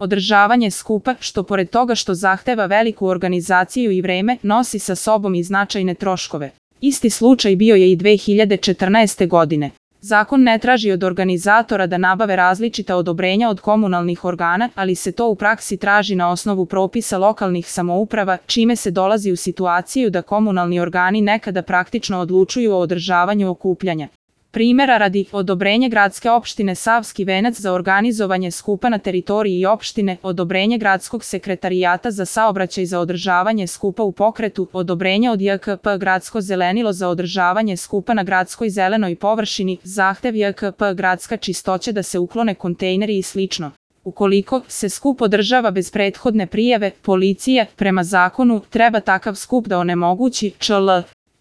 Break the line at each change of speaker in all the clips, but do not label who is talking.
Održavanje skupa, što pored toga što zahteva veliku organizaciju i vreme, nosi sa sobom i značajne troškove. Isti slučaj bio je i 2014. godine. Zakon ne traži od organizatora da nabave različita odobrenja od komunalnih organa, ali se to u praksi traži na osnovu propisa lokalnih samouprava, čime se dolazi u situaciju da komunalni organi nekada praktično odlučuju o održavanju okupljanja. Primjera radi, odobrenje gradske opštine Savski Venac za organizovanje skupa na teritoriji opštine, odobrenje gradskog sekretarijata za saobraćaj za održavanje skupa u pokretu, odobrenje od JKP Gradsko zelenilo za održavanje skupa na gradskoj zelenoj površini, zahtev JKP Gradska čistoća da se uklone kontejneri i slično. Ukoliko se skup održava bez prethodne prijave, policija, prema zakonu, treba takav skup da onemogući. čl.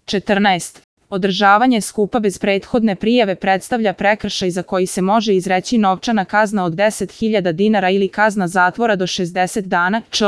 14. Održavanje skupa bez prethodne prijave predstavlja prekršaj za koji se može izreći novčana kazna od 10.000 dinara ili kazna zatvora do 60 dana. čl.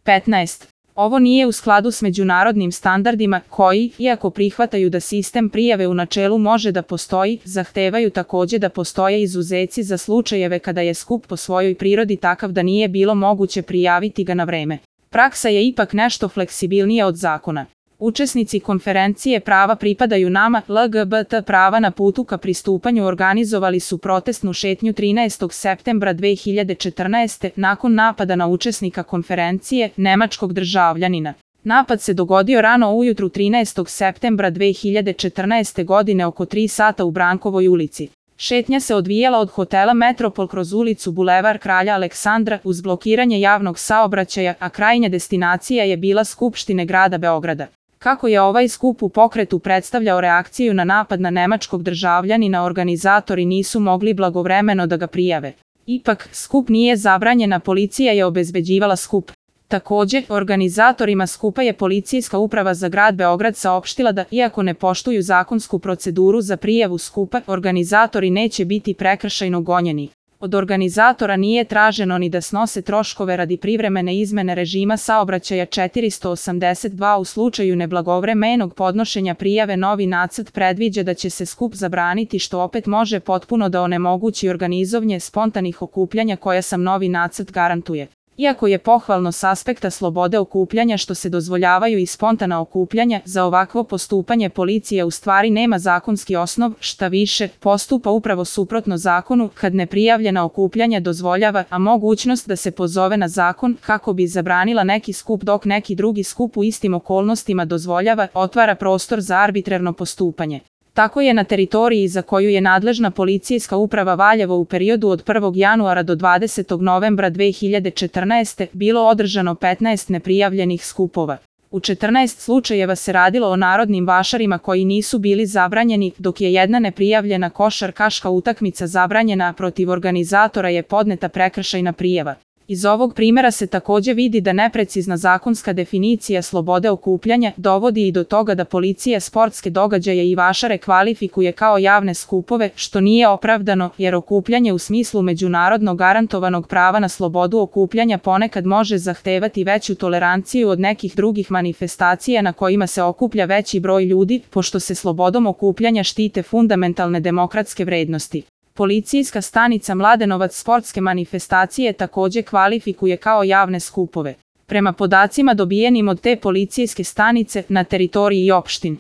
15. Ovo nije u skladu s međunarodnim standardima koji, iako prihvataju da sistem prijave u načelu može da postoji, zahtevaju takođe da postoje izuzeci za slučajeve kada je skup po svojoj prirodi takav da nije bilo moguće prijaviti ga na vreme. Praksa je ipak nešto fleksibilnija od zakona. Učesnici konferencije Prava pripadaju nama, LGBT prava na putu ka pristupanju organizovali su protestnu šetnju 13. septembra 2014. nakon napada na učesnika konferencije, nemačkog državljanina. Napad se dogodio rano ujutru 13. septembra 2014. godine oko 3 sata u Brankovoj ulici. Šetnja se odvijala od hotela Metropol kroz ulicu Bulevar Kralja Aleksandra uz blokiranje javnog saobraćaja, a krajnja destinacija je bila Skupštine grada Beograda. Kako je ovaj skup u pokretu predstavljao reakciju na napad na nemačkog državljanina, organizatori nisu mogli blagovremeno da ga prijave. Ipak, skup nije zabranjen, a policija je obezbeđivala skup. Takođe, organizatorima skupa je Policijska uprava za grad Beograd saopštila da, iako ne poštuju zakonsku proceduru za prijavu skupa, organizatori neće biti prekršajno gonjeni. Od organizatora nije traženo ni da snose troškove radi privremene izmene režima saobraćaja 482 u slučaju neblagovremenog podnošenja prijave. Novi nacrt predviđa da će se skup zabraniti, što opet može potpuno da onemogući organizovanje spontanih okupljanja koja sam novi nacrt garantuje. Iako je pohvalno s aspekta slobode okupljanja što se dozvoljavaju i spontana okupljanja, za ovakvo postupanje policija u stvari nema zakonski osnov, šta više, postupa upravo suprotno zakonu kad neprijavljena okupljanja dozvoljava, a mogućnost da se pozove na zakon kako bi zabranila neki skup dok neki drugi skup u istim okolnostima dozvoljava, otvara prostor za arbitrarno postupanje. Tako je na teritoriji za koju je nadležna Policijska uprava Valjevo u periodu od 1. januara do 20. novembra 2014. bilo održano 15 neprijavljenih skupova. U 14 slučajeva se radilo o narodnim vašarima koji nisu bili zabranjeni, dok je jedna neprijavljena košarkaška utakmica zabranjena, a protiv organizatora je podneta prekršajna prijava. Iz ovog primjera se takođe vidi da neprecizna zakonska definicija slobode okupljanja dovodi i do toga da policija sportske događaje i vašare kvalifikuje kao javne skupove, što nije opravdano, jer okupljanje u smislu međunarodno garantovanog prava na slobodu okupljanja ponekad može zahtevati veću toleranciju od nekih drugih manifestacija na kojima se okuplja veći broj ljudi, pošto se slobodom okupljanja štite fundamentalne demokratske vrednosti. Policijska stanica Mladenovac sportske manifestacije takođe kvalifikuje kao javne skupove. Prema podacima dobijenim od te policijske stanice, na teritoriji opštin